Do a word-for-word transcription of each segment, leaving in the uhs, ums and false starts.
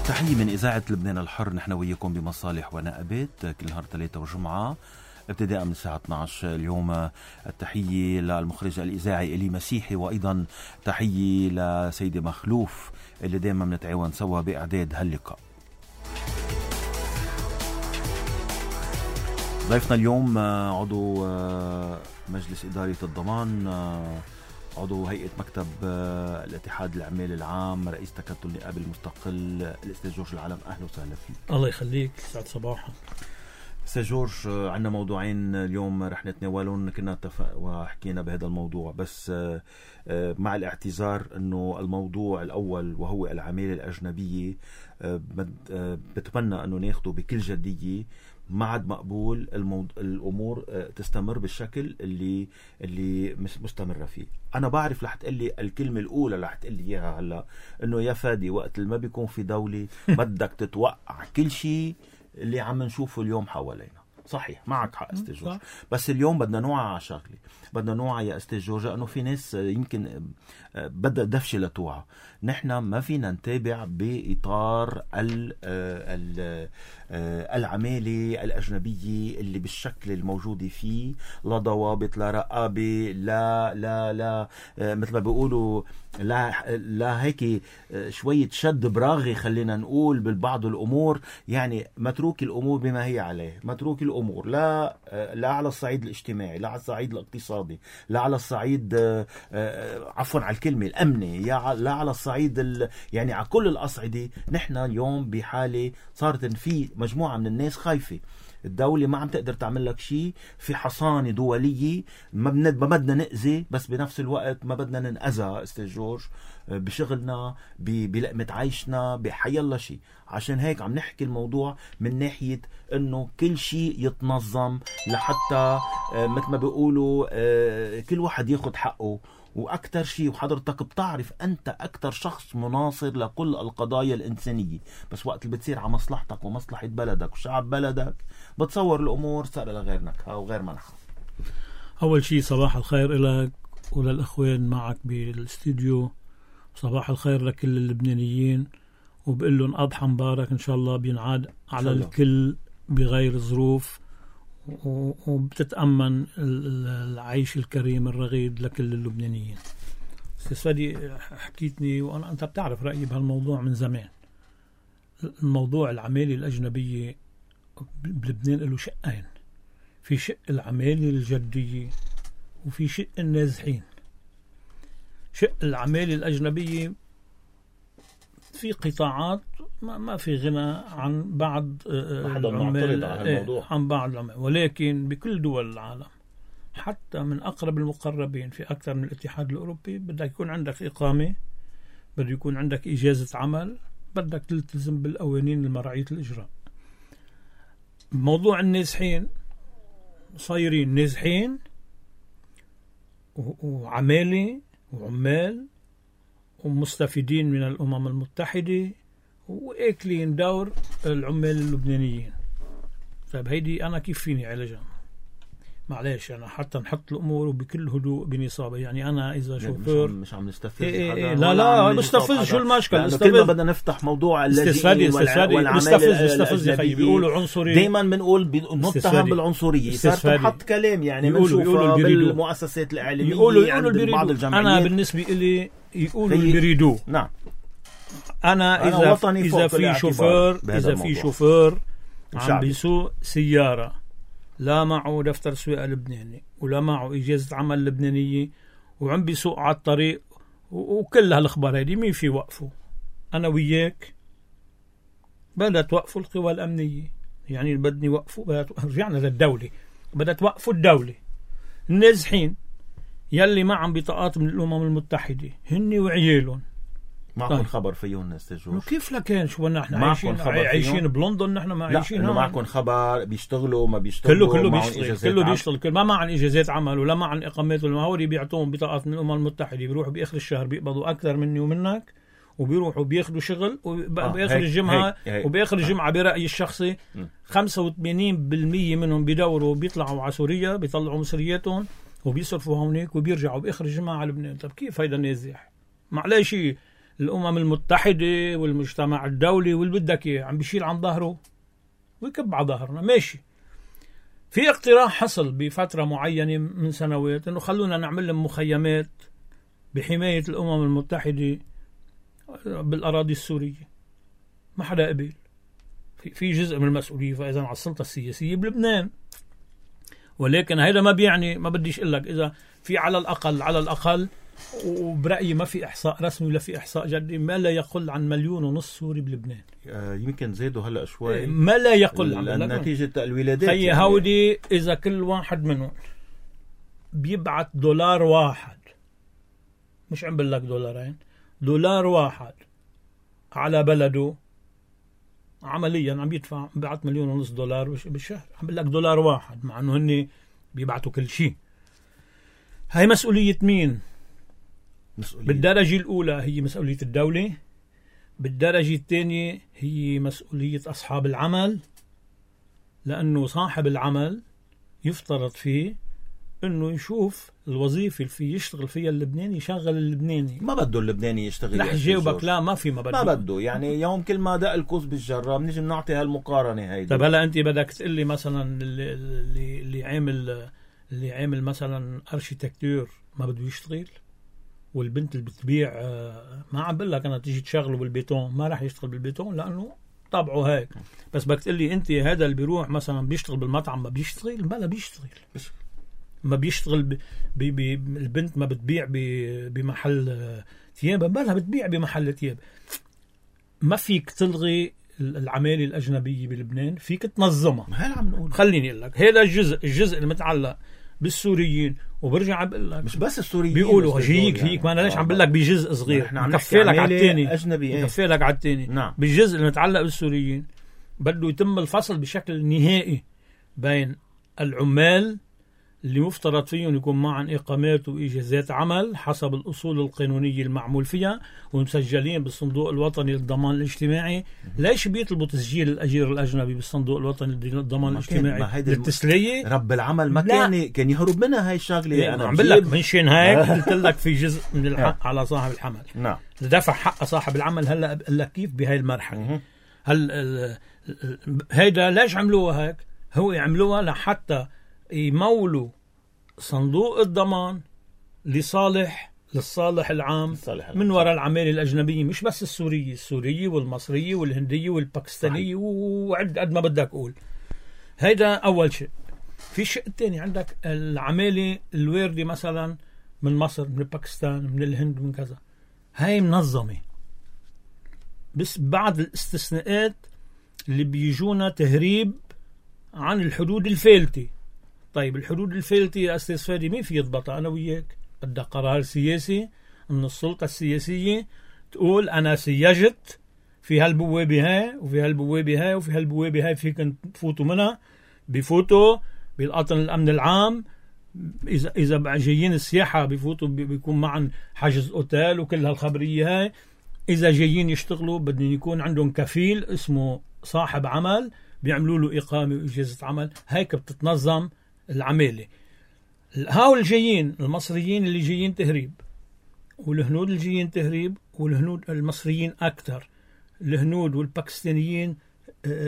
تحية من إذاعة لبنان الحر. نحن وياكم بمصالح ونقبات كل نهار ثلاثة وجمعة ابتداء من الساعة اثني عشر. اليوم التحية للمخرج الإذاعي إلي مسيحي، وأيضا تحية لسيدي مخلوف اللي دائما بنتعاون سوا بإعداد هاللقاء. ضيفنا اليوم عضو مجلس إدارة الضمان، عضو هيئة مكتب الاتحاد العمالي العام، رئيس تكتل النقابة المستقل، الأستاذ جورج العلم. أهلا وسهلا فيك. الله يخليك، سعد صباحا. أستاذ جورج، عندنا موضوعين اليوم رح نتناولهم. كنا اتفق وحكينا بهذا الموضوع، بس مع الاعتذار أنه الموضوع الأول وهو العمالة الأجنبية بتمنى أنه ناخده بكل جدية. ما عاد مقبول الموض... الأمور تستمر بالشكل اللي اللي مستمرة فيه. أنا بعرف رح تقلي الكلمة الأولى رح تقلي إياها هلا، إنه يا فادي وقت اللي ما بيكون في دولة بدك تتوقع كل شيء اللي عم نشوفه اليوم حوالينا. صحيح، معك حق أستاذ جورج، بس اليوم بدنا نوعى على شغلة. بدنا نوعى يا أستاذ جورج أنه في ناس يمكن بدها دفشة لتوعى. نحن ما فينا نتابع بإطار ال ال العمالة الأجنبية اللي بالشكل الموجود فيه، لا ضوابط، لا رقابة، لا لا لا مثل ما بيقولوا لا لا هيك شوية شد براغي خلينا نقول بالبعض الأمور. يعني متروك الأمور بما هي عليه، متروك الأمور لا لا على الصعيد الاجتماعي، لا على الصعيد الاقتصادي، لا على الصعيد عفوا على الكلمة الأمني، يا لا على الصعيد ال... يعني على كل الأصعدة. نحن اليوم بحالة صارت في مجموعة من الناس خايفة. الدولة ما عم تقدر تعمل لك شيء، في حصانة دولية، ما بدنا نأذي بس بنفس الوقت ما بدنا ننأذى أستاذ جورج بشغلنا، بلقمة عيشنا، بحي الله شيء. عشان هيك عم نحكي الموضوع من ناحية انه كل شيء يتنظم لحتى مثل ما بيقولوا كل واحد ياخد حقه. وأكتر شيء، وحضرتك بتعرف أنت أكتر شخص مناصر لكل القضايا الإنسانية، بس وقت اللي بتصير على مصلحتك ومصلحة بلدك وشعب بلدك بتصور الأمور صار لغير نكهة وغير منحة. أول شيء صباح الخير لك وللأخوين معك بالاستوديو، صباح الخير لكل اللبنانيين، وبقول لهم أضحى مبارك إن شاء الله بينعاد على الكل بغير ظروف، وبتتأمن العيش الكريم الرغيد لكل اللبنانيين. أستاذ فادي حكيتني وأنا أنت بتعرف رأيي بهالموضوع من زمان. الموضوع العمالة الأجنبية بلبنان له شقين، في شق العمالة الجدية وفي شق النازحين. شق العمالة الأجنبية في قطاعات ما, ما في غنى عن بعض العمال، عن بعض العمال، ولكن بكل دول العالم حتى من أقرب المقربين في أكثر من الاتحاد الأوروبي بدك يكون عندك إقامة، بدك يكون عندك إجازة عمل، بدك تلتزم بالقوانين المرعية الإجراء. موضوع النازحين صايرين نازحين وعمالة وعمال ومستفيدين من الأمم المتحدة وإكلين دور العمال اللبنانيين. طيب هيدي أنا كيف فيني علاجها؟ معلش أنا حتى نحط الأمور بكل هدوء بنصابة. يعني أنا إذا شوفير مش عم نستفز إيه إيه لا لا مستفز، شو المشكلة؟ كل ما بدنا نفتح موضوع اللاجئين والعمال مستفز يا خيي، بيقولوا عنصرية. دايما بنقول نتهم بالعنصرية، صار تنحط كلام يعني بنشوفها بالمؤسسات الإعلامية، يقولوا يقولوا بعض الجمعيات. أنا بالنسبة إلي يقولوا البريدو. نعم، أنا إذا إذا في شوفير إذا في شوفير عم بيسوق سيارة لا معه دفتر سواقة لبناني ولا معه إجازة عمل لبنانية وعم بيسوق على الطريق وكل هالأخبار هذه، مين في وقفه؟ أنا وياك بدأ توقفوا القوى الأمنية. يعني بدني وقفوا، رجعنا للدولة، بدأ توقفوا الدولة. النازحين يلي ما عم بطاقات من الأمم المتحدة هني وعيالهم معكم طيب. خبر فيهم أستاذ جورج؟ كيف لكن شو نحن عايشين عايشين بلندن، نحن ما عايشين هون. معكم خبر بيشتغلوا ما بيشتغلوا؟ كله كله بيشتغل، كله بيشتغل، كل ما معن إجازات عمل ولا معن إقامات ولا ما هو بيعطوهم بطاقات من الأمم المتحدة، بيروحوا بآخر الشهر بيقبضوا أكثر مني ومنك، وبيروحوا بياخدوا شغل وبآخر آه. الجمعة وبآخر الجمعة برأيي الشخصي خمسة وثمانين بالمية منهم بيدوروا بيطلعوا على سوريا، بيطلعوا مصرياتهم وبيصرفوا هونيك وبيرجعوا بآخر الجمعة على لبنان. طب كيف هيدا نازح؟ معلش الأمم المتحدة والمجتمع الدولي واللي بدك إياه عم بيشيل عن ظهره ويكب على ظهرنا. ماشي. في اقتراح حصل بفترة معينة من سنوات إنه خلونا نعمل لهم مخيمات بحماية الأمم المتحدة بالأراضي السورية. ما حدا قبل. في في جزء من المسؤولية فإذا على السلطة السياسية بلبنان. ولكن هذا ما بيعني، ما بديش اقول لك اذا في على الاقل على الاقل وبرايي ما في احصاء رسمي ولا في احصاء جدي، ما لا يقل عن مليون ونص سوري بلبنان. آه يمكن زادوا هلا شوي، ما لا يقل عن نتيجه الولادات. هي يعني هودي اذا كل واحد منهم بيبعت دولار واحد، مش عم بقول لك دولارين، دولار واحد على بلده، عمليا عم يدفع بعت مليون ونص دولار بالشهر. عم بقول لك دولار واحد، مع انه هن بيبعتوا كل شيء. هاي مسؤولية مين؟ مسؤولية. بالدرجة الأولى هي مسؤولية الدولة، بالدرجة الثانية هي مسؤولية أصحاب العمل، لأنه صاحب العمل يفترض فيه انه يشوف الوظيفه اللي فيه يشتغل فيها اللبناني، يشغل اللبناني. ما بده اللبناني يشتغل. رح جاوبك لا، ما في ما بده ما بده يعني يوم كل ما دق الكوز بالجرة بنيجي بنعطي هالمقارنه هيدي. طيب هلا انت بدك تقول لي مثلا اللي اللي, اللي عامل اللي عامل مثلا اركيتكتور ما بده يشتغل، والبنت اللي بتبيع ما عم بقول لك انا تيجي تشغله بالبيتون، ما راح يشتغل بالبيتون لانه طبعه هيك. بس بدك تقول لي انت هذا اللي بيروح مثلا بيشتغل بالمطعم ما بيشتغل؟ بلا بيشتغل. ما بيشتغل ب... ب... ب... البنت ما بتبيع ب... بمحل ثياب، بلا بتبيع بمحل ثياب. ما فيك تلغي العمالة الأجنبية بلبنان، فيك تنظمها. ما هلا عم نقول. خليني أقول لك هذا الجزء الجزء المتعلق بالسوريين، وبرجع بقول لك مش بس السوريين بيقولوا هجيك يعني. هيك ما أنا ليش عم بقول لك بجزء صغير، نكفي لك على الثاني، أجنبي نكفي لك على الثاني. نعم. بالجزء المتعلق بالسوريين بده يتم الفصل بشكل نهائي بين العمال اللي مفترض فيهم يكون معهم إقامات وإجازات عمل حسب الأصول القانونية المعمول فيها ومسجلين بالصندوق الوطني للضمان الاجتماعي. ليش بيطلبوا تسجيل الأجير الأجنبي بالصندوق الوطني للضمان الاجتماعي؟ للتسلية. رب العمل ما كان كان يهرب منها هاي الشغلة. إيه أنا عم بقول لك منشان هيك قلت لك في جزء من الحق على صاحب الحمل. نعم. دفع حق صاحب العمل. هلا بقول لك كيف بهاي المرحلة. هل هيدا ليش عملوها هيك؟ هو يعملوها لحتى يمولوا صندوق الضمان لصالح للصالح العام من وراء العمالة الأجنبية، مش بس السورية، السورية والمصرية والهندية والباكستانية وعد قد ما بدك أقول. هيدا أول شيء. في الشيء الثاني عندك العمالة الواردة مثلا من مصر، من باكستان، من الهند، من كذا. هاي منظمة، بس بعض الاستثناءات اللي بيجونا تهريب عن الحدود الفالتة. طيب الحدود الفالتة يا أستاذ فادي مين في يضبطها؟ أنا وياك. بدها قرار سياسي من السلطة السياسية تقول أنا سيجت في هالبوابة هاي وفي هالبوابة هاي وفي هالبوابة هاي فيك تفوتوا منها. بيفوتوا بالقطن الأمن العام. إذا إذا جايين السياحة بيفوتوا بيكون معن حجز أوتيل وكل هالخبرية هاي. إذا جايين يشتغلوا بدهم يكون عندهم كفيل اسمه صاحب عمل بيعملوا له إقامة وإجازة عمل. هيك بتتنظم العمالة. هاول الجايين المصريين اللي جايين تهريب، والهنود اللي جايين تهريب، والهنود المصريين أكثر، الهنود والباكستانيين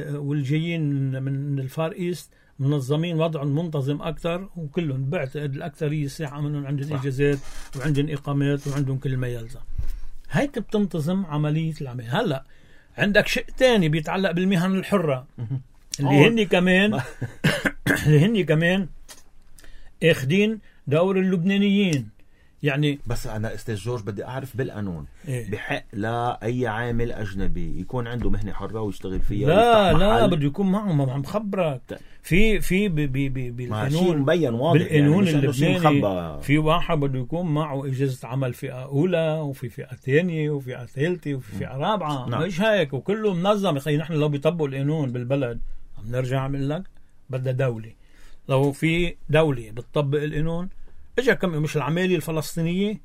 والجايين من الفار إيست منظمين وضعهم منتظم أكثر، وكلهم بعتقد الأكثرية الساعة منهم عندهم إجازات وعندهم إقامات وعندهم كل ما يلزم. هيك بتنتظم عملية العمل. هلأ عندك شيء تاني بيتعلق بالمهن الحرة اللي هني كمان اللي هني كمان اخدين دور اللبنانيين. يعني بس أنا أستاذ جورج بدي أعرف بالقانون إيه؟ بحق لا أي عامل أجنبي يكون عنده مهنة حرة ويشتغل فيها؟ لا لا بده يكون معه. ما عم خبرك في في بالقانون مبين واضح بالقانون يعني اللبناني في واحد بده يكون معه إجازة عمل فئة أولى وفي فئة ثانية وفئة ثالثة وفي فئة رابعة. نعم. مش هيك وكله منظم. يخي نحن لو بيطبقوا القانون بالبلد عم نرجع عمل لك بدها دولة. لو في دولة بتطبق القانون اجا كم مش العمالة الفلسطينية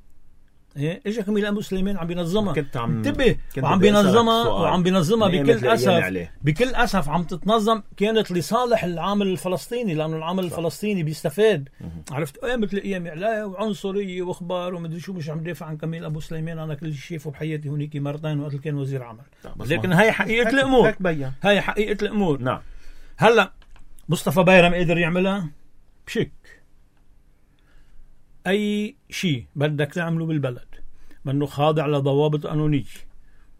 ايه اجا كميل ابو سليمان عم بينظمها. كنت عم انتبه وعم بينظمها وعم بينظمها بكل اسف بكل اسف عم تتنظم كانت لصالح العامل الفلسطيني، لانه العامل صح. الفلسطيني بيستفاد. عرفت ايه مثل ايام اعلام وعنصريه واخبار ومدري شو، مش عم دافع عن كميل ابو سليمان، انا كل شيء شايفه بحياتي هونيك مرتين وقت كان وزير عمل. لكن هاي حقيقه الامور، هاي حقيقه الامور. نعم. هلا مصطفى بيرم قدر يعملها بشك. اي شيء بدك تعمله بالبلد منه خاضع لضوابط قانونية،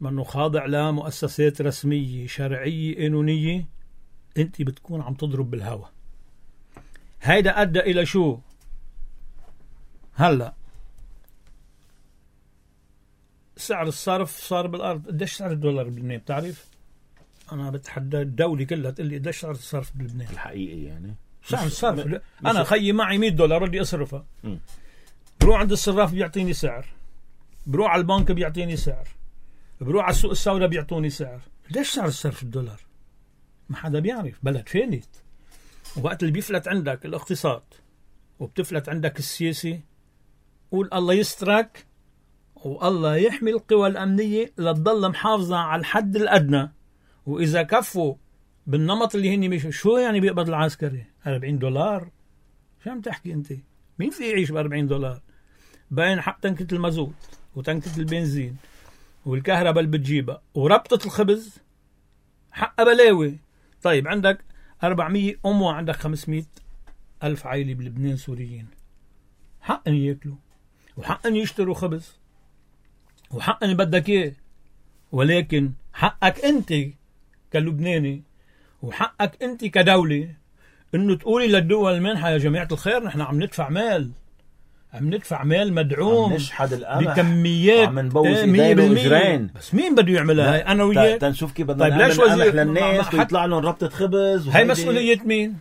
منه خاضع لمؤسسات رسمية شرعية قانونية، انت بتكون عم تضرب بالهوا. هيدا أدى إلى شو؟ هلا سعر الصرف صار بالأرض. قديش سعر الدولار بلبنان بتعرف؟ أنا بتحدى الدولة كلها تقول لي قديش سعر الصرف بلبنان الحقيقي. يعني سعر الصرف م... أنا خيي معي مية دولار بدي أصرفها، م. بروح عند الصراف بيعطيني سعر، بروح على البنك بيعطيني سعر، بروح على السوق السوداء بيعطوني سعر. ليش سعر الصرف الدولار؟ ما حدا بيعرف، بلد فالت. وقت اللي بيفلت عندك الاقتصاد وبتفلت عندك السياسي، قول الله يسترك والله يحمي القوى الأمنية لتضل محافظة على الحد الأدنى. وإذا كفوا بالنمط اللي هني مش شو يعني بيقبض العسكري أربعين دولار؟ شو عم تحكي أنت؟ مين في يعيش بأربعين دولار؟ باين حق تنكة المازوت وتنكة البنزين والكهرباء اللي بتجيبها وربطة الخبز حق بلاوي. طيب عندك أربعمية أم وعندك خمسمية ألف عائلة بلبنان سوريين، حق أن يأكلوا وحق أن يشتروا خبز وحق أن بدك إيه، ولكن حقك أنت كلبناني وحقك أنت كدولة إنه تقولي للدول المنحة يا جماعة الخير نحن عم ندفع مال، عم ندفع مال مدعوم بكميات عم نبوظ ايدينا واجرين. بس مين بده يعملها؟ هاي انا وياك تنشوف كيف بدنا نعمل قمح للناس ويطلع لهم ربطة خبز. هاي مسؤولية مين؟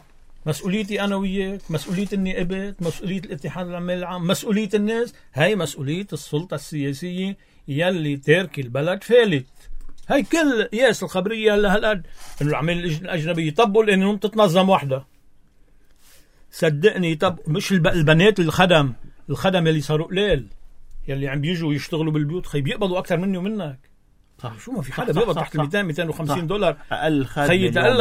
مسؤوليتي انا وياك، مسؤولية النائبات، مسؤولية الاتحاد العمال العام، مسؤولية الناس. هاي مسؤولية السلطة السياسية يلي تارك البلد فالت. هاي كل ياس الخبرية هلا هالقد انه العمال الاجنبية يطبقوا لانهم تتنظم وحدة. صدقني طب مش البنات الخدم الخدم اللي صاروا قليل يلي عم بيجوا يشتغلوا بالبيوت خي بيقبضوا اكثر مني ومنك. صح. شو ما في حدا بيقبض تحت مئتين مئتين وخمسين دولار اقل خدمه. خي تقول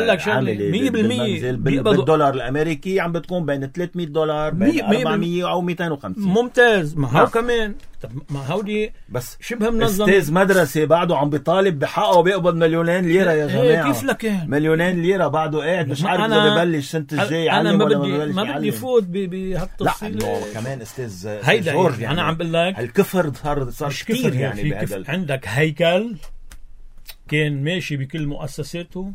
لك شغله مية بالمية بالدولار الامريكي عم بتكون بين ثلاثمية دولار بين أربعمية او مئتين وخمسين. ممتاز. ما هو كمان طب ما هودي بس شبه منظم. استاذ مدرسه بعده عم بيطالب بحقه وبيقبض مليونين ليره يا جماعه. كيف لك مليونين ليره بعده قاعد مش عارف اذا ببلش السنه الجاي انا ما بدي ما بدي فوت بهالتفصيل. لا كمان استاذ هيدا جورج يعني انا عم بقول لك الكفر صار صار كثير يعني بهذا. عندك هيكل كان ماشي بكل مؤسساته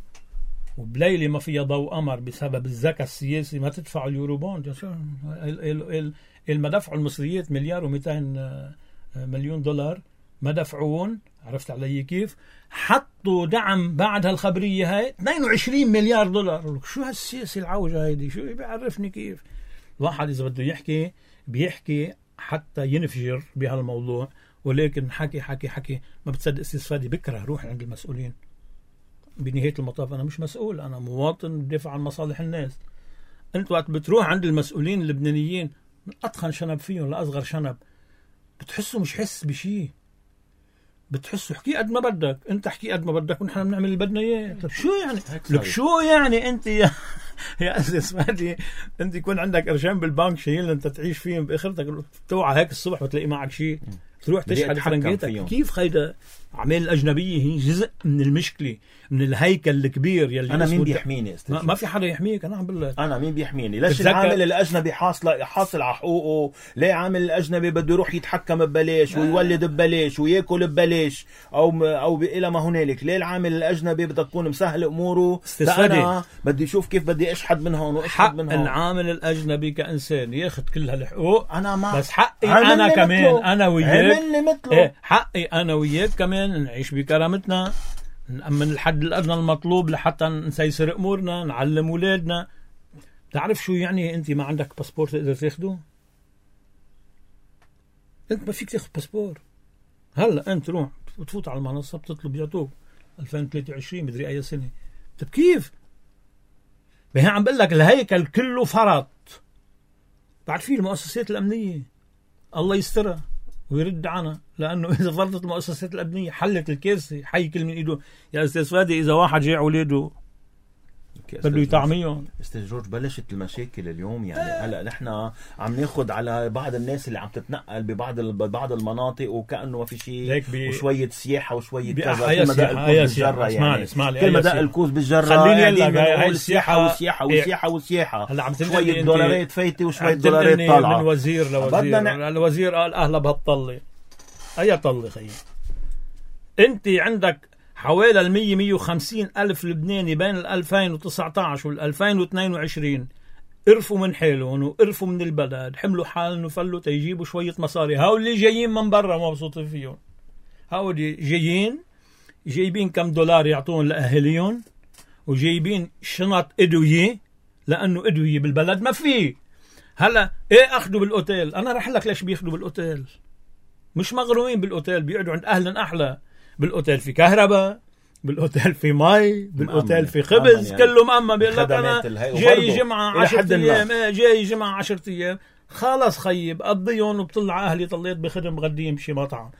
وبليلة ما فيها ضوء قمر بسبب الذكاء السياسي ما تدفع اليوروبوند. ما دفعوا المصريات مليار ومئتين مليون دولار ما دفعون. عرفت علي كيف؟ حطوا دعم بعد هالخبرية هاي اثنين وعشرين مليار دولار. شو هالسياسة العوجة هيدي؟ شو بيعرفني كيف؟ الواحد إذا بده يحكي بيحكي حتى ينفجر بهالموضوع، ولكن حكي حكي حكي ما بتصدق استفادي. بكره روح عند المسؤولين. بنهاية المطاف أنا مش مسؤول، أنا مواطن بدافع عن مصالح الناس. أنت وقت بتروح عند المسؤولين اللبنانيين من أتخن شنب فيهم لأصغر شنب بتحسوا مش حس بشي، بتحسوا حكي قد ما بدك، أنت حكي قد ما بدك ونحن بنعمل اللي بدنا إياه. طب شو يعني؟ لك شو يعني أنت يا يا أساس فادي أنت يكون عندك قرشين بالبنك شايل أنت تعيش فيهم بآخرتك توعى هيك الصبح بتلاقي معك شيء تروح تشحن فرنجيتك. كيف خيدا عمال الأجنبية هي جزء من المشكلة من الهيكل الكبير يلي أنا مين بيحميني استاذ؟ ما, ما في حدا يحميك. أنا عم بقول لك أنا مين بيحميني؟ ليش العامل الأجنبي حاصل حاصل على حقوقه؟ ليه عامل الأجنبي بده يروح يتحكم ببلاش ويولد ببلاش ويأكل ببلاش أو أو إلى ما هنالك؟ ليه العامل الأجنبي بدك تكون مسهل أموره؟ أنا بدي أشوف كيف بدي أشحد من هون وأشحد من هون. العامل الأجنبي كإنسان ياخد كل هالحقوق. أنا ما بس حقي أنا كمان مثله. أنا وياك إيه حقي أنا وياك كمان نعيش بكرامتنا، نأمن الحد الأدنى المطلوب لحتى نسيسر أمورنا، نعلم أولادنا. تعرف شو يعني أنت ما عندك باسبور تقدر تاخده؟ أنت ما فيك تاخد باسبور. هلا أنت روح وتفوت على المنصة بتطلب يعطوك ألفين وثلاثة وعشرين مدري أي سنة. طب كيف؟ بهي عم بقول لك الهيكل كله فرط. بعد فيه المؤسسات الأمنية الله يسترها ويرد عنها، لأنه إذا فرضت المؤسسات الأمنية حلت الكارثة. حي كل من إيده يا أستاذ فادي، إذا واحد جاع ولاده بده يطعميهم. استاذ جورج، بلشت المشاكل اليوم يعني. هلا نحن عم ناخد على بعض الناس اللي عم تتنقل ببعض ببعض المناطق وكأنه ما في شيء بي... وشوية سياحة وشوية كذا. كل ما دق الكوز بالجرة يعني كل ما دق الكوز بالجرة خليني اقول لك هاي السياحة والسياحة والسياحة والسياحة. هلا عم شوية دولارات فايتة وشوية دولارات طالعة من وزير لوزير. الوزير قال أهلا بهالطلة. أي طلة خيي؟ أنت عندك حوالي المية مية وخمسين ألف لبناني بين الألفين وتسعة عشر والألفين واثنين وعشرين قرفوا من حالهم وقرفوا من البلد، حملوا حالهم وفلوا تيجيبوا شوية مصاري. هاو اللي جايين من برا مبسوطين فيهم. هاو اللي جايين جايبين كم دولار يعطون لأهليهم، وجايبين شنط إدوية لأنه إدوية بالبلد ما فيه. هلا إيه أخذوا بالأوتيل؟ أنا رح لك ليش بياخذوا بالأوتيل. مش مغرومين بالأوتيل، بيقعدوا عند أهل أحلى. بالأوتيل في كهرباء، بالأوتيل في مي، بالأوتيل في خبز، يعني كله مأمن. بيقول لك أنا جاي جمعة عشرة أيام، جاي جمعة عشرة أيام، خلاص خيب قضيهم وبطلع أهلي طليت بخدم غديم بشي مطعم.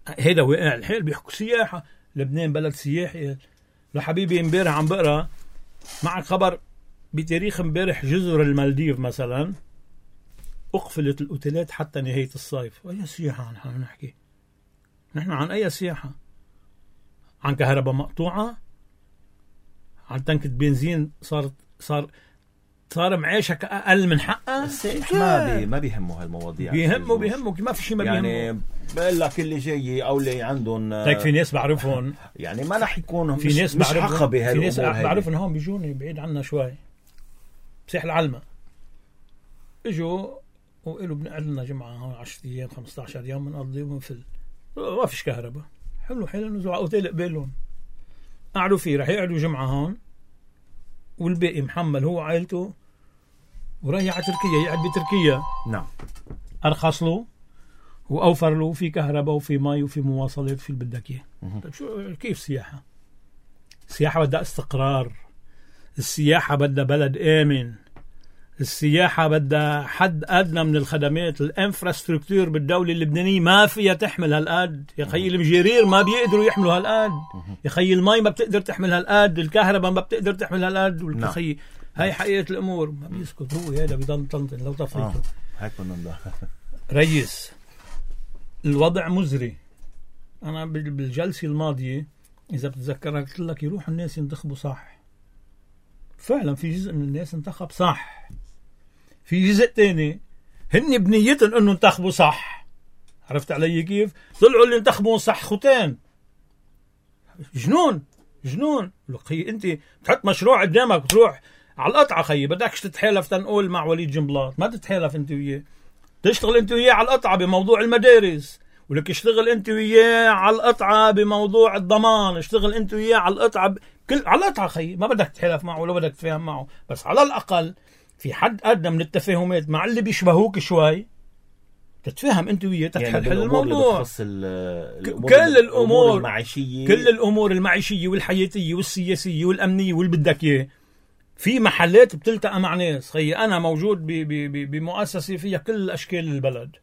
هيدا وقع الحيل. بيحكوا سياحة، لبنان بلد سياحي. لحبيبي امبارح عم بقرأ معك خبر بتاريخ امبارح، جزر المالديف مثلا أقفلت الأوتيلات حتى نهاية الصيف. أي سياحة نحن نحكي؟ نحن عن أي سياحة؟ عن كهرباء مقطوعة؟ عن تنكة بنزين صارت صار صار معيشك أقل من حقها؟ السائح ما بي ما بيهمه هالمواضيع. بيهمه بيهمه ما في شيء ما بيهمه. يعني بقول لك اللي جاي أو اللي عندهم هيك في ناس بعرفهم يعني ما رح يكونوا في مش ناس مش عقبة. في ناس بعرفهم هون بيجوني بعيد عنا شوي بساحل العلمة، اجوا وقالوا بنقعد لنا جمعة هون عشرة أيام خمسة عشر يوم بنقضي ونفل. ما فيش كهرباء. حلو حلو نزلوا على اوتيل قبالهم قعدوا فيه، رح يقعدوا جمعة هون والباقي محمل هو عائلته ورايح على تركيا يقعد بتركيا. نعم. أرخص له وأوفر له، في كهرباء وفي مي وفي مواصلات وفي اللي بدك إياه. طيب شو كيف سياحة؟ السياحة بدها استقرار، السياحة بدها بلد آمن، السياحة بدها حد أدنى من الخدمات. الانفراستركتور بالدولة اللبنانية ما فيها تحمل هالقد يا خي. المجيرير ما بيقدروا يحملوا هالقد يا خي. المي ما بتقدر تحمل هالقد، الكهرباء ما بتقدر تحمل هالقد والخي. هاي حقيقة الأمور. ما بيسكت هو، هذا بيضل طنطن لو طفيته. آه. هيك بدنا ريس. الوضع مزري. أنا بالجلسة الماضية إذا بتتذكر قلت لك يروح الناس ينتخبوا صح. فعلا في جزء من الناس انتخب صح، في جزء تاني هن بنيتهم انه انتخبوا صح. عرفت علي كيف؟ طلعوا اللي انتخبوا صح ختان. جنون جنون. لك خي انت بتحط مشروع قدامك وتروح على القطعة خي، بدكش تتحالف تنقول مع وليد جنبلاط، ما تتحالف انت وياه. تشتغل انت وياه على القطعة بموضوع المدارس، ولك اشتغل انت وياه على القطعة بموضوع الضمان، اشتغل انت وياه على القطعة ب... كل على القطعة خي. ما بدك تتحالف معه ولا بدك تتفاهم معه، بس على الأقل في حد أدنى من التفاهمات مع اللي بيشبهوك شوي، تتفاهم انت وياه تتحل يعني الموضوع. كل الأمور المعيشية، كل الأمور المعيشية والحياتية والسياسية والأمنية واللي بدك إياه. في محلات بتلتقى مع ناس خي. أنا موجود بمؤسسة فيها كل أشكال البلد.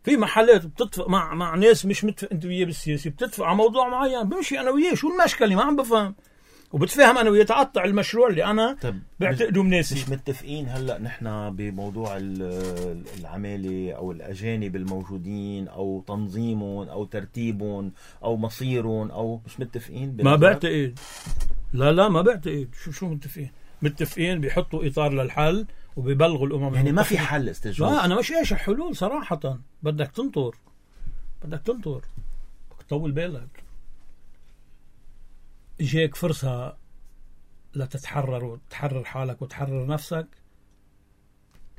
في محلات بتتفق مع مع ناس مش متفق انت وياه بالسياسي، بتتفق على موضوع معين، بمشي انا وياه. شو المشكله؟ ما عم بفهم. وبتفهم انا وياه تقطع المشروع اللي انا بعتقده مناسب. مش متفقين هلا نحن بموضوع العماله او الاجانب الموجودين او تنظيمهم او ترتيبهم او مصيرهم، او مش متفقين؟ ما بعتقد. لا لا ما بعتقد. شو شو متفقين؟ متفقين بيحطوا اطار للحل وبيبلغوا الامم. يعني ما في حل استجواب. لا انا مش ايش الحلول صراحه. بدك تنطر بدك تنطر بدك تطول بالك. اجاك فرصه لتتحرر وتحرر حالك وتحرر نفسك،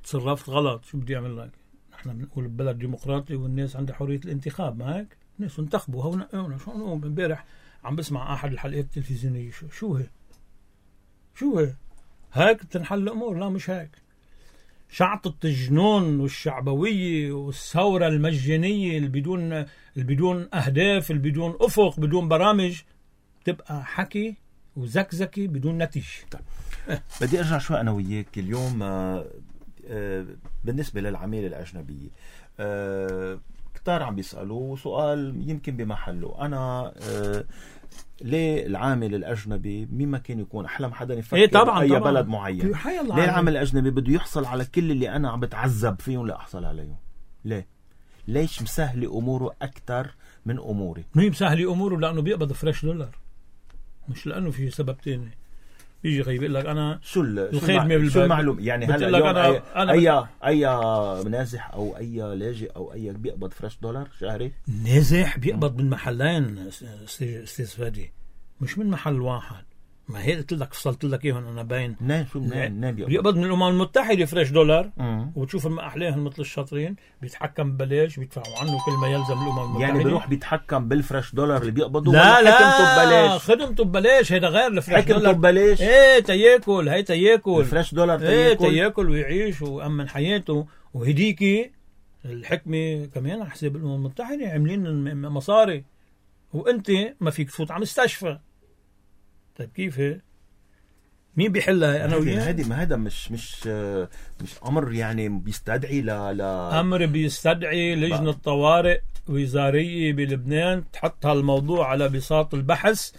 تصرفت غلط. شو بدي اعمل لك؟ نحن بنقول ببلد ديمقراطي والناس عندها حريه الانتخاب، ما هيك؟ الناس انتخبوا هون هون. شو انا امبارح عم بسمع احد الحلقات التلفزيونيه. شو شو هي شو هي هيك تنحل الامور؟ لا مش هيك. شعطة الجنون والشعبوية والثورة المجانية اللي بدون اللي بدون أهداف، اللي بدون أفق، بدون برامج، تبقى حكي وزكزكي بدون نتيجة. طيب. أه. بدي أرجع شوي أنا وياك اليوم. آه آه بالنسبة للعمالة الأجنبية، آه كتار عم بيسألوا سؤال يمكن بمحله. أنا آه ليه العامل الأجنبي مين ما كان يكون أحلم حدا يفكر إيه طبعاً أي طبعاً. بلد معين، ليه العامل الأجنبي بده يحصل على كل اللي أنا عم بتعذب فيهم لأحصل عليهم؟ ليه؟ ليش مسهل أموره أكتر من أموري؟ مين مسهل أموره؟ لأنه بيقبض فريش دولار، مش لأنه في سبب تاني. بيجي خي بيقول لك أنا شو الخدمة شو المعلوم يعني هلا اليوم أنا أي أنا أي, أي نازح أو أي لاجئ أو أي بيقبض فريش دولار شهري؟ نازح بيقبض من محلين استاذ فادي، مش من محل واحد. ما هي قلت لك فصلت لك اياهم انا باين. منين شو منين منين بيقبض؟ بيقبض من الامم المتحده فريش دولار. مم. وتشوف احلاهم مثل الشاطرين بيتحكم ببلاش، بيدفعوا عنه كل ما يلزم الامم المتحده. يعني بيروح بيتحكم بالفريش دولار اللي بيقبضوه؟ لا لا خدمته ببلاش. خدمته ببلاش، هيدا غير الفريش دولار. خدمته ببلاش. ايه تياكل، هي تياكل الفريش دولار تياكل. ايه تياكل ويعيش ويأمن حياته. وهديكي الحكمه كمان على حساب الامم المتحده عاملين مصاري، وانت ما فيك تفوت على مستشفى. طيب كيف هي؟ مين بيحلها؟ انا وياه. هذه ما هذا مش مش مش امر يعني بيستدعي لا لا امر بيستدعي لجنه طوارئ وزاريه بلبنان تحط هالموضوع على بساط البحث،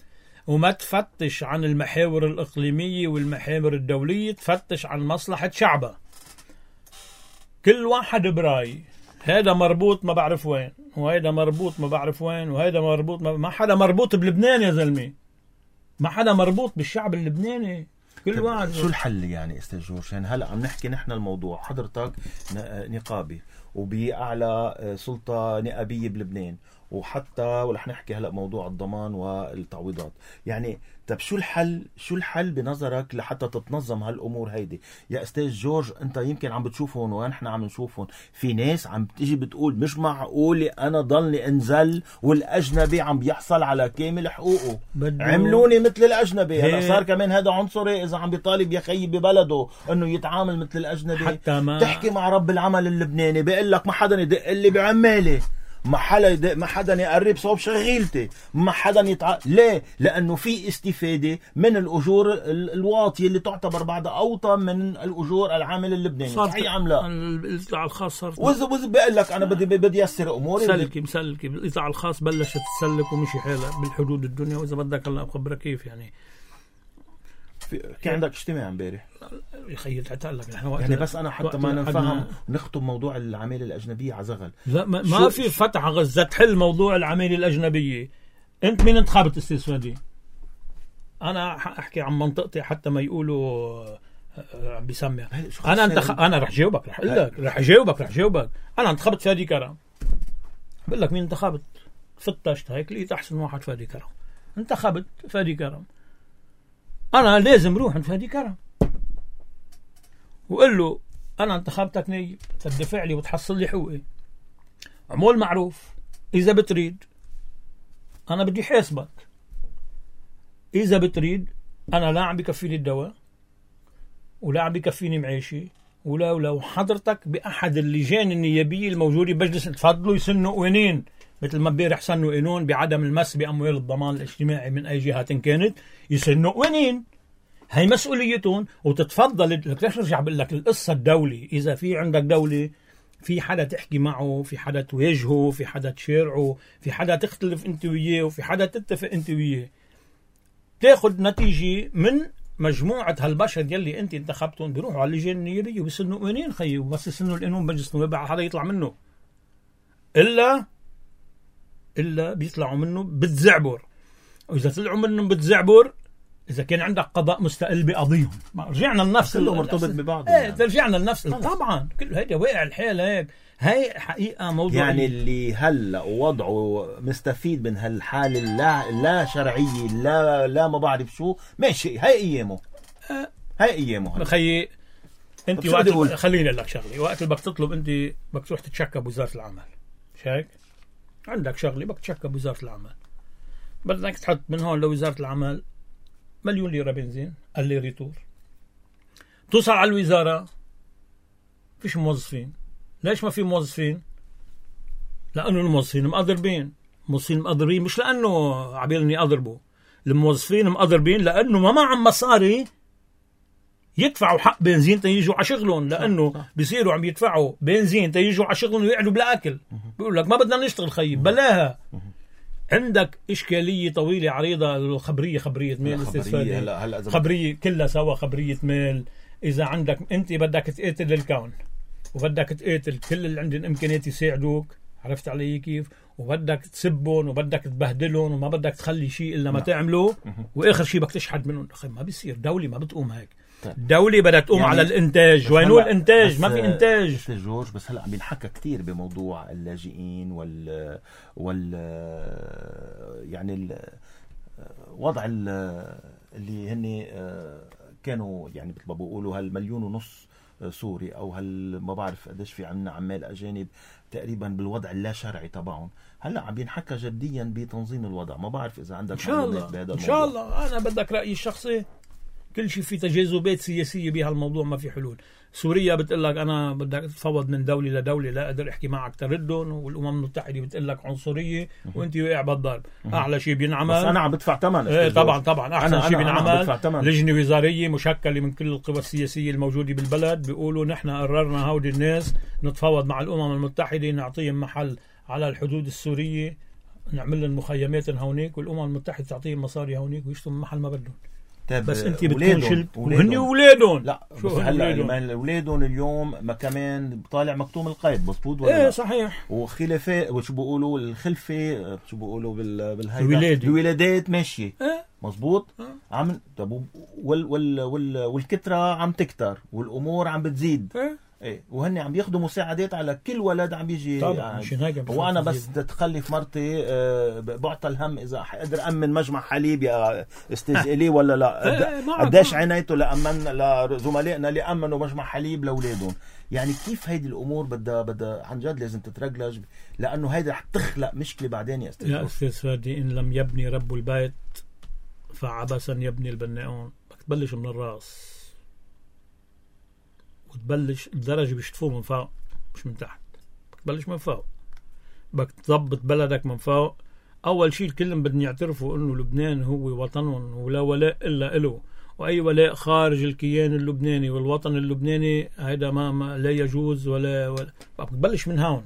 وما تفتش عن المحاور الاقليميه والمحاور الدوليه، تفتش عن مصلحه شعبها. كل واحد براي، هذا مربوط ما بعرف وين، وهذا مربوط ما بعرف وين، وهذا مربوط ما, ما حدا مربوط بلبنان يا زلمه، ما حدا مربوط بالشعب اللبناني. كل واحد. شو الحل يعني استاذ جورج؟ يعني هلا عم نحكي نحن الموضوع، حضرتك نقابي وبأعلى سلطة نقابية بلبنان، وحتى ورح نحكي هلا موضوع الضمان والتعويضات. يعني طب شو الحل؟ شو الحل بنظرك لحتى تتنظم هالامور هيدي يا استاذ جورج؟ انت يمكن عم بتشوفهم ونحن عم نشوفهم، في ناس عم تيجي بتقول مش معقول انا ضلني انزل والاجنبي عم بيحصل على كامل حقوقه، عملوني مثل الاجنبي. هلا صار كمان هذا عنصري اذا عم بيطالب يا خيي ببلده انه يتعامل مثل الاجنبي. حتى ما تحكي مع رب العمل اللبناني بيقول لك ما حدا يدق لي بعمالي، ما حدا ما حدا يقرب صوب شغيلتي، ما حدا يتع... ليه؟ لانه في استفاده من الاجور الواطيه اللي تعتبر بعدها اوطى من الاجور العامل اللبناني. صحيح ام لا؟ القطاع الخاص صار وز وز بقول لك انا بدي بدي يسر اموري. سلكي مسلكي القطاع الخاص بلشت تسلك ومشي حالها بالحدود الدنيا. واذا بدك هلا اخبرك كيف يعني في عندك اجتماع امبارح يا خيي تعال لك يعني بس انا حتى ما نفهم نخطب موضوع العماله الاجنبيه على زغل. لا ما, ما في فتح غزه تحل موضوع العماله الاجنبيه. انت مين انتخبت استاذ فادي؟ انا احكي عن منطقتي حتى ما يقولوا عم بيسمع. انا انتخ... انا رح جاوبك رح اقول لك رح جاوبك رح جاوبك انا انتخبت فادي كرم. بقول لك مين انتخبت؟ فتشت هيك لقيت احسن واحد فادي كرم. انتخبت فادي كرم. أنا لازم روح عند فادي كرم وقل له أنا انتخبتك نايب تدفع لي وتحصل لي حقوقي. عمول معروف. إذا بتريد أنا بدي حاسبك. إذا بتريد أنا لا عم بكفيني الدواء ولا عم بكفيني معيشي ولا ولا وحضرتك بأحد اللجان النيابية الموجودة بمجلس تفضلوا يسنوا قوانين مثل ما امبارح سنوا قانون بعدم المس بأموال الضمان الاجتماعي من أي جهة كانت. يسنوا قوانين هي مسؤوليتهم وتتفضل. ليش رجع بقول لك القصة الدولة؟ إذا في عندك دولة في حدا تحكي معه، في حدا تواجهه، في حدا تشارعه، في حدا تختلف انت وياه، وفي حدا تتفق انت وياه، تاخد نتيجة من مجموعة هالبشر يلي انت انتخبتهم. بيروحوا على اللجان النيابية وبيسنوا قوانين خيي، وبس يسنوا القانون مجلس النواب حدا يطلع منه إلا إلا بيطلعوا منه بتزعبر. وإذا طلعوا منهم بتزعبر إذا كان عندك قضاء مستقل بقضيهم. رجعنا لنفس كله مرتبط ببعضه. ايه يعني. رجعنا لنفس طبعا كل هيدا واقع الحال هيك. هي حقيقة موضوع يعني اللي هلا وضعه مستفيد من هالحالة لا لا شرعية لا لا ما بعرف شو ماشي. هاي أيامه أه هاي أيامه خيي. أنت وقت خليني لك شغلي، وقت اللي بدك تطلب أنت بدك تروح تتشكى بوزارة العمل، مش هيك؟ عندك شغلي بدك تتشكى بوزارة العمل، بدك تحط من هون لوزارة العمل مليون ليرة بنزين قال لي ريتور. توصل على الوزارة فيش موظفين. ليش ما في موظفين؟ لأنه الموظفين مقدربين. الموظفين مقدرين مش لأنه عبيلني أضربوا. الموظفين مقدربين لأنه ما معهم مصاري يدفعوا حق بنزين تيجوا على شغلهم، لانه بيصيروا عم يدفعوا بنزين تيجوا على شغلهم ويقعدوا بلا اكل. بيقول لك ما بدنا نشتغل خيب بلاها. عندك اشكاليه طويله عريضه. الخبريه خبريه ميل استثماريه، خبريه كلها سوا خبريه ميل. اذا عندك انت بدك تقاتل الكون وبدك تقاتل كل اللي عندهم امكانيات يساعدوك، عرفت علي كيف، وبدك تسبهم وبدك تبهدلهم وما بدك تخلي شيء الا ما تعملوه، واخر شيء بدك تشحد منهم. اخي ما بيصير، دولة ما بتقوم هيك. الدولة بدها تقوم يعني على الانتاج. وينو الانتاج؟ ما في انتاج. جورج بس هلا عم بينحكى كثير بموضوع اللاجئين وال وال يعني الوضع اللي هن كانوا يعني مثل ما بيقولوا هالمليون ونص سوري او هال ما بعرف قديش في عنا عمال اجانب تقريبا بالوضع اللا شرعي تبعهم. هلا عم ينحكى جديا بتنظيم الوضع. ما بعرف اذا عندك ان شاء الله بهذا الموضوع. ان شاء الله. انا بدك رايي الشخصي، كل شيء في تجاذبات سياسيه بهالموضوع، ما في حلول. سوريا بتقول لك انا بدك تتفاوض من دوله لدوله، لا اقدر احكي معك تردهم، والامم المتحده بتقول لك عنصريه وانت واقع بالضرب. اعلى شيء بينعمل بس انا عم بدفع ثمن. ايه طبعا طبعا احسن شيء بينعمل لجنه وزاريه مشكله من كل القوى السياسيه الموجوده بالبلد، بيقولوا نحن قررنا هودي الناس نتفاوض مع الامم المتحده نعطيهم محل على الحدود السوريه، نعمل لهم مخيمات هونيك، والامم المتحده تعطيهم مصاري هونيك ويشتوا محل ما بدهم. بس انت بتكون شلت وهن اولادهم. لا بس هلا اولادهم اليوم ما كمان طالع مكتوم القيد مظبوط ولا؟ ايه لا؟ صحيح. وخلافات وشو بيقولوا الخلفه شو بيقولوا بالهيدا الولادة. الولادات ماشيه ايه مظبوط. اه. عم طب وال وال وال والكتره عم تكتر والامور عم بتزيد. ايه ايه وهن عم ياخذوا مساعدات على كل ولد عم بيجي. طبعا مشان هيك. وانا بس تتخلف مرتي أه بعطى الهم اذا حقدر امن مجمع حليب يا استاذ الي ولا لا. قديش عنيته لامن لزملائنا اللي امنوا مجمع حليب لاولادهم. يعني كيف هيدي الامور بدها بدها عن جد لازم تترجلج، لانه هيدا رح تخلق مشكله بعدين يا استاذ. يا استاذ فادي ان لم يبني رب البيت فعبثا يبني البناؤون. بدك تبلش من الراس وتبلش الدرجة بيشتفوه من فوق مش من تحت. بتبلش من فوق، بدك تضبط بلدك من فوق. أول شيء الكلهم بدهم يعترفوا إنه لبنان هو وطنهم ولا ولاء إلا إله، وأي ولاء خارج الكيان اللبناني والوطن اللبناني هيدا ما, ما لا يجوز ولا, ولا. بتبلش من هون.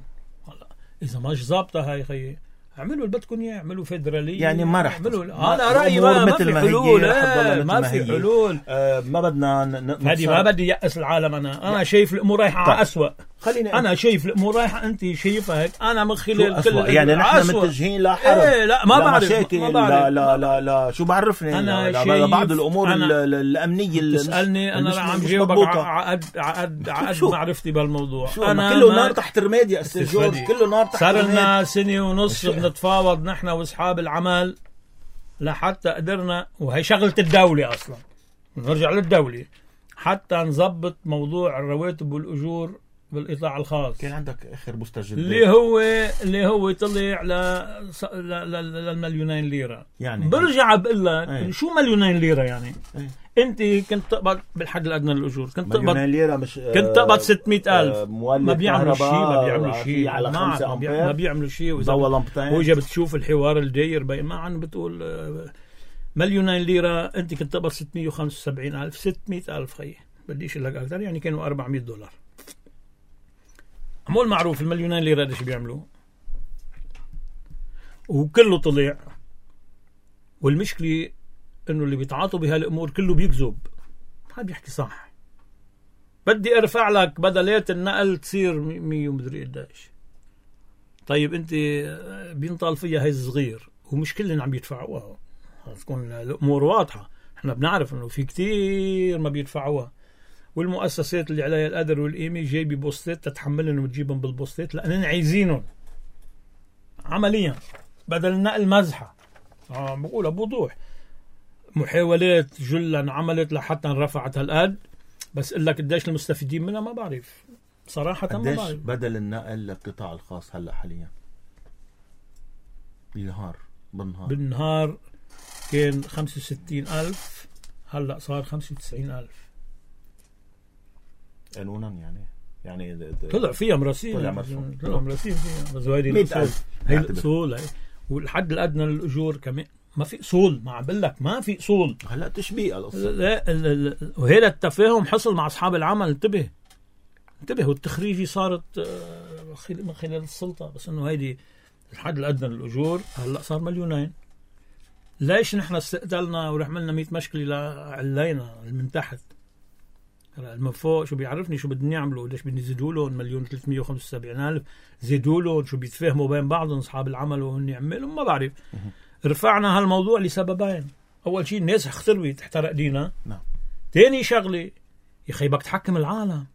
إذا ماش ظابطة هاي خيي اعملوا اللي بدكم اياه، اعملوا فيدراليه يعني ما رح اعملوا. انا رايي ما, ما في حلول. اه ما في حلول. آه ما بدنا هذه ما بدي يأس العالم. انا انا شايف الامور رايحه على اسوء. خليني انا شايف الامور رايحه، انت شايفها هيك. انا من خلال كل يعني نحن متجهين لحرب. ايه لا ما بعرف مشاكل. ما بعرف. لا لا لا, لا شو بعرفني انا بعض الامور الامنيه اللي تسالني انا عم جاوبك عقد عقد عقد معرفتي بالموضوع. انا كله نار تحت رماد يا استاذ جورج، كله نار تحت رماد. صار لنا سنه ونص بنتفاوض نحن واصحاب العمل لحتى قدرنا، وهي شغله الدوله اصلا، نرجع للدوله حتى نظبط موضوع الرواتب والاجور بالقطاع الخاص. كان عندك اخر مستجد اللي هو اللي هو طلع ل للمليونين ليره. يعني برجع بقول لك ايه؟ شو مليونين ليره يعني؟ ايه؟ انت كنت تقبض بالحد الادنى للاجور، كنت تقبض ليره مش كنت تقبض ستمية ألف. آه ما بيعملوا شيء ما بيعملوا شيء على خمسة ما بيعملوا شيء. واذا بتشوف الحوار الداير بين ما عن بتقول آه مليونين ليره، انت كنت تقبض ستمية وخمسة وسبعين ألف. ستمية ألف خيي بديش لك اكثر، يعني كانوا أربعمية دولار. عمول معروف المليونين ليره ايش بيعملوا، وكله طلع. والمشكله انه اللي بيتعاطوا بهالامور كله بيكذب، ما بيحكي صح. بدي ارفع لك بدلات النقل تصير مية ومدري قديش. طيب انت بينطال فيها هي صغير ومش كلهم عم يدفعوها. تكون الامور واضحه. احنا بنعرف انه في كتير ما بيدفعوها، والمؤسسات اللي عليها القدر والقيمه جايبه بوستات تتحملهم وتجيبهم بالبوستات لانهم عايزينهم عمليا بدل النقل مزحه. اه بقولها بوضوح. محاولات جلا عملت لحتى رفعت هالقد، بس اقول لك قديش المستفيدين منها ما بعرف صراحه. ما بعرف بدل النقل للقطاع الخاص هلا حاليا بالنهار بالنهار بالنهار كان خمسة وستين ألف، هلا صار خمسة وتسعين ألف قانونا. يعني يعني طلع فيها مراسيم، طلع مرسوم طلع مراسيم فيها. بس هيدي مئة ألف هي الأصول. والحد الأدنى للأجور كمان ما في اصول، ما عم بقول لك ما في اصول. هلا تشبيه القصه. لا ال- ال- وهذا التفاهم حصل مع اصحاب العمل. انتبه انتبه والتخريجي صارت آه، خل- من خلال السلطه، بس انه هيدي الحد الادنى للاجور هلا صار مليونين. ليش نحن استقتلنا ورحملنا مية مشكله لعلينا من تحت؟ هلا من فوق شو بيعرفني شو بدهم يعملوا؟ ليش بدهم يزيدوا لهم مليون ثلاثمية وخمسة وسبعين ألف؟ زيدوا لهم شو بيتفاهموا بين بعضهم اصحاب العمل وهن يعملوا؟ ما بعرف. رفعنا هالموضوع لسببين. اول شيء الناس اختربت احترق دينا. نعم. ثاني شغله يا اخي بدك تحكم العالم.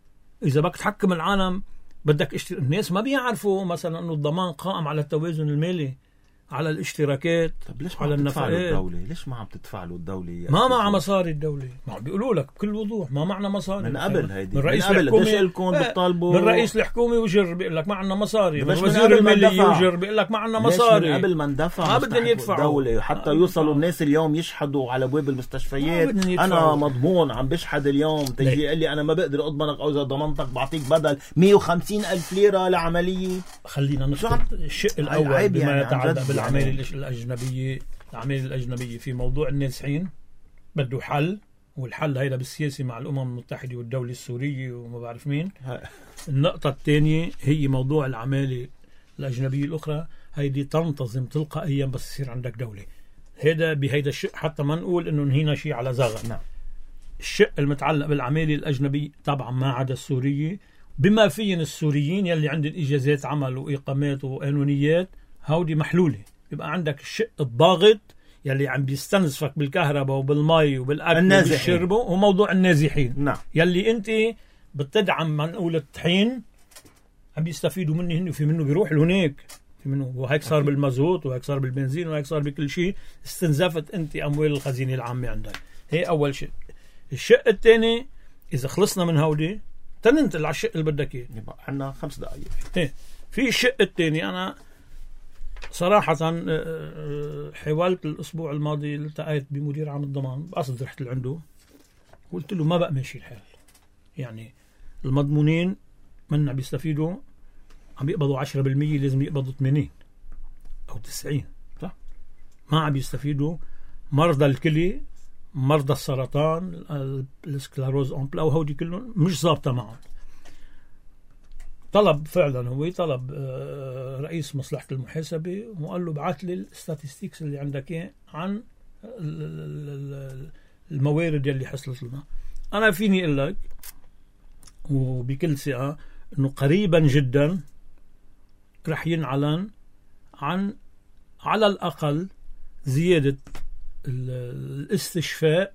اذا بدك تحكم العالم بدك اشتر... الناس ما بيعرفوا مثلا انه الضمان قائم على التوازن المالي، على الاشتراكات، طب ليش ما على عم تدفع له النفقات. الدولة؟ ليش ما عم تدفع له الدولة؟ يا ما أستاذ معها زين؟ مصاري الدولة. ما عم بيقولوا لك بكل وضوح ما معنا مصاري. من قبل هيدي من رئيس من قبل الحكومة قديش لكم بتطالبوا؟ من رئيس الحكومة وجر بيقول لك ما عنا مصاري. من بس من وزير قبل ما المالية اندفع. وجر بيقول لك ما عنا ليش مصاري. من قبل ما اندفع ما بدهم مستحق يدفعوا. الدولة حتى ما يوصلوا يدفعوا. الناس اليوم يشحدوا على ابواب المستشفيات؟ ما بدهم انا يدفعوا. مضمون عم بشحد اليوم، تجي يقول لي انا ما بقدر اضمنك، او اذا ضمنتك بعطيك بدل مية وخمسين ألف ليرة لعملية. خلينا عم- نشرح الشق الأول عيب بما يعني عن يتعلق جد بالأعمال يعني. الأج- الأجنبية. الأعمال الأجنبية في موضوع النازحين بده حل، والحل هيدا بالسياسي مع الأمم المتحدة والدولة السورية وما بعرف مين. النقطة الثانية هي موضوع العمالة الأجنبية الأخرى، هيدي تنتظم تلقائيا بس يصير عندك دولة. هذا بهيدا الشق حتى ما نقول إنه نهينا شيء على زغل. نعم. الشق المتعلق بالعمالة الأجنبية طبعا ما عدا السورية، بما فيهم السوريين يلي عندهم إجازات عمل وإقامات وقانونيات، هودي محلولة. يبقى عندك الشق الضاغط يلي عم بيستنزفك بالكهرباء وبالمي وبالأكل النازحين. وبالشرب، وموضوع النازحين. نعم. يلي انت بتدعم ما نقول الطحين عم بيستفيدوا منه هن، وفي منه بيروح لهناك، في منه وهيك صار بالمازوت وهيك صار بالبنزين وهيك صار بكل شيء. استنزفت انت اموال الخزينه العامه عندك. هي اول شيء. الشق الثاني اذا خلصنا من هودي تننتقل على الشق اللي بدك اياه. يبقى عنا خمس دقائق. ايه في الشق الثاني. انا صراحة آه، آه، حاولت الأسبوع الماضي التقيت بمدير عام الضمان بقصد رحت لعنده، قلت له ما بقى ماشي الحال. يعني المضمونين من عم بيستفيدوا عم يقبضوا عشرة بالمية، لازم يقبضوا ثمانين أو تسعين. صح. ما عم بيستفيدوا مرضى الكلى، مرضى السرطان، ال- السكلروز أمبلا، وهودي كلهم مش ظابطة معهم. طلب فعلا هو طلب آه، رئيس مصلحة المحاسبة وقال له بعث لي الستاتستيكس اللي عندك إياه عن ال- ال- ال- الموارد اللي حصلت لنا. أنا فيني أقول لك وبكل ثقة إنه قريبا جدا رح ينعلن عن على الأقل زيادة ال- الاستشفاء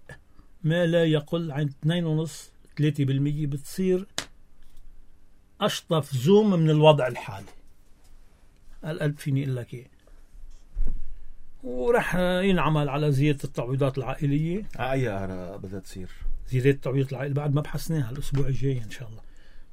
ما لا يقل عن اثنين فاصلة خمسة ثلاثة بالمية. بتصير أشطف زوم من الوضع الحالي. القلب فيني أقول لك إيه. ورح ينعمل على زيادة التعويضات العائلية. أي أرى بدها تصير؟ زيادة التعويضات العائلية بعد ما بحثناها الأسبوع الجاي إن شاء الله.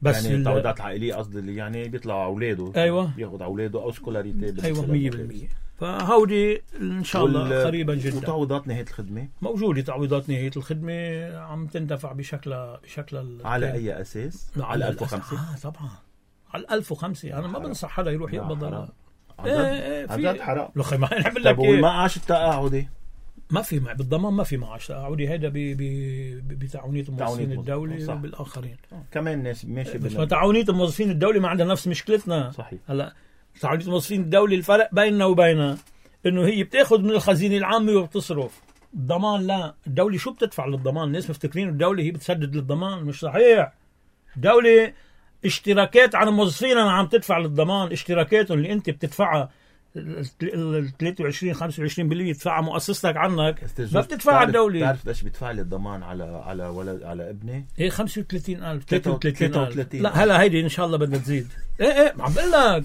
بس يعني ال- التعويضات العائلية قصدي اللي يعني بيطلع أولاده. أيوة. بياخد أولاده أو سكولاريتي. أيوة مية بالمية. فهودي إن شاء الله وال- قريبا جدا. وتعويضات نهاية الخدمة موجودة تعويضات نهاية الخدمة عم تندفع بشكل بشكل على أي أساس؟ لا، على على ألف وخمسة. آه طبعا على ألف وخمسة. أنا ما حرام. بنصح حدا يروح لا، يقبض. حرام. عن إيه جد؟ إيه عن في جد حرام. لخي ما نعمل طب لك إيه. والمعاش التقاعدي؟ ما في مع بالضمان ما في معاش تقاعدي. هيدا ب- ب- ب- بتعاونية الموظفين تعاونية الدولة صح. وبالآخرين. كمان ناس ماشي بس ما بال- تعاونية الموظفين الدولة ما عندها نفس مشكلتنا. صحيح. هلا تعاونية الموظفين الدولة الفرق بيننا وبينها انه هي بتاخذ من الخزينة العامة وبتصرف. الضمان لا. الدولة شو بتدفع للضمان؟ الناس مفتكرين الدولة هي بتسدد للضمان. مش صحيح. الدولة اشتراكات عن موظفينها عم تدفع للضمان. اشتراكاتهم اللي انت بتدفعها ال ثلاثة وعشرين خمسة وعشرين بالمية بتدفعها مؤسستك عنك، ما بتدفعها الدولة. تعرف قديش بدفع لي الضمان على على ولد على ابني؟ ايه خمسة وثلاثين ألف ثلاثة ثلاثة وثلاثين ألف. وثلاثين. لا هلا هيدي ان شاء الله بدها تزيد. ايه ايه عم بقول لك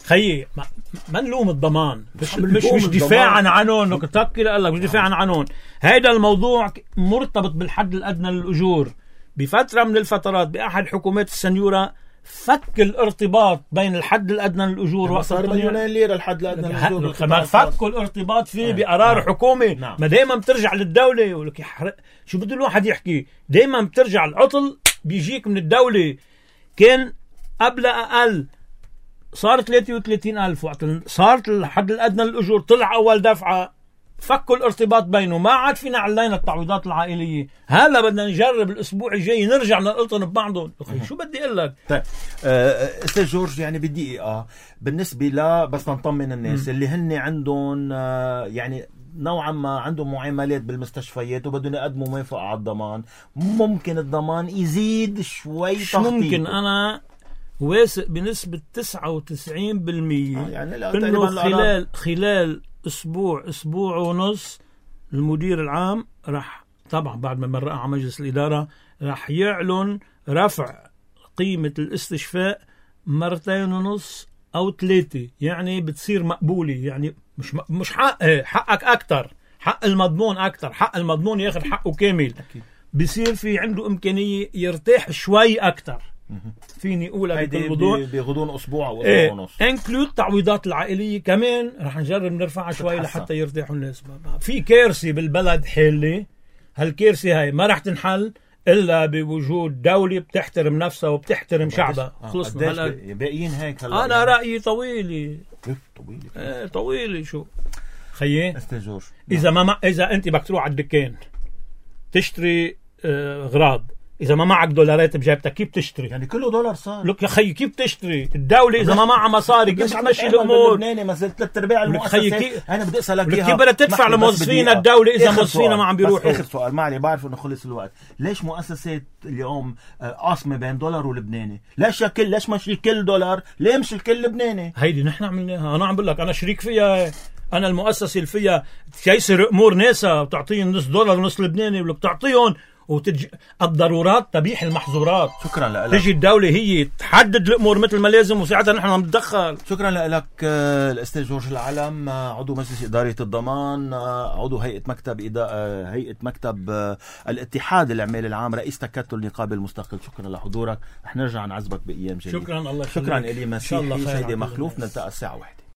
خيي ما, ما نلوم الضمان. مش عم مش, نلوم مش الضمان. دفاعا عنهم. انك تفكر قال لك مش دفاعا عنهم. هيدا الموضوع مرتبط بالحد الادنى للاجور. بفتره من الفترات باحد حكومات السنيوره فك الارتباط بين الحد الادنى للاجور وقت صار مليونين ليره الحد الادنى للأجور. ما فكوا الارتباط فيه بقرار حكومي. نعم. ما دائما بترجع للدوله. يقول لك يحرق شو بده الواحد يحكي. دائما بترجع العطل بيجيك من الدوله. كان قبل اقل صار ثلاثة وثلاثين ألف وقت صارت الحد الادنى للاجور طلع اول دفعه فكوا الارتباط بينه، ما عاد فينا علينا التعويضات العائلية. هلا بدنا نجرب الأسبوع الجاي نرجع نلقطن ببعضهم. شو بدي أقول لك؟ طيب آه، أستاذ جورج، يعني بدقيقة بالنسبة لا بس نطمن الناس م. اللي هن عندهم آه يعني نوعا ما عندهم معاملات بالمستشفيات وبدهم يقدموا موافقة على الضمان، ممكن الضمان يزيد شوي تخطيط؟ ممكن. أنا واثق بنسبة تسعة وتسعين بالمية آه يعني إنه خلال خلال أسبوع أسبوع ونص المدير العام راح طبعا بعد ما مرقها على مجلس الإدارة راح يعلن رفع قيمة الاستشفاء مرتين ونص أو ثلاثة، يعني بتصير مقبولة. يعني مش مش حق حقك أكتر، حق المضمون أكتر، حق المضمون ياخد حقه كامل. بصير في عنده إمكانية يرتاح شوي أكتر. فيني أقولها بكل وضوح بيغضون أسبوع أو أسبوع ايه ونص. انكلود التعويضات العائلية كمان رح نجرب نرفعها شوي لحتى يرتاحوا الناس. في كارثة بالبلد حالي، هالكارثة هاي ما رح تنحل إلا بوجود دولة بتحترم نفسها وبتحترم شعبها. خلصنا هلا باقيين هيك. هلا أنا يعني رأيي طويلي طويلة ايه طويلة. شو خيي أستاذ جورج، إذا ما إذا أنت بدك تروح على الدكان تشتري آه غراض، إذا ما معك دولارات بجيبتك كيف تشتري؟ يعني كله دولار صار. لك يا خيي كيف تشتري؟ الدولة إذا ما معها مصاري كيف تمشي الأمور؟ لبناني ما زلت ثلاث أرباع المؤسسات. أنا بدي أسألك إياها، كيف بدها تدفع لموظفين الدولة إذا موظفينها ما عم بيروحوا؟ آخر سؤال معلي، بعرف إنه خلص الوقت. ليش مؤسسات اليوم قاسمة بين دولار ولبناني؟ ليش الكل ليش مش الكل دولار؟ ليه مش الكل لبناني؟ هيدي نحن عملناها. أنا عم بقول لك أنا شريك فيها. أنا المؤسسة اللي فيها تيسر أمور ناسا وتعطيهم نص دولار ونص لبناني، ولك تعطيهم وتج... الضرورات تبيح المحظورات. شكرا لك. تجي الدولة هي تحدد الأمور مثل ما لازم وساعتها نحن عم نتدخل. شكرا لك الأستاذ جورج العلم، عضو مجلس إدارة الضمان، عضو هيئة مكتب إدا... هيئة مكتب الاتحاد العمالي العام، رئيس تكتل نقابة المستقل. شكرا لحضورك، رح نرجع نعزبك بأيام جديدة. شكرا الله شكرا إلي مسيحي سيدي مخلوف. نلتقى الساعة واحدة.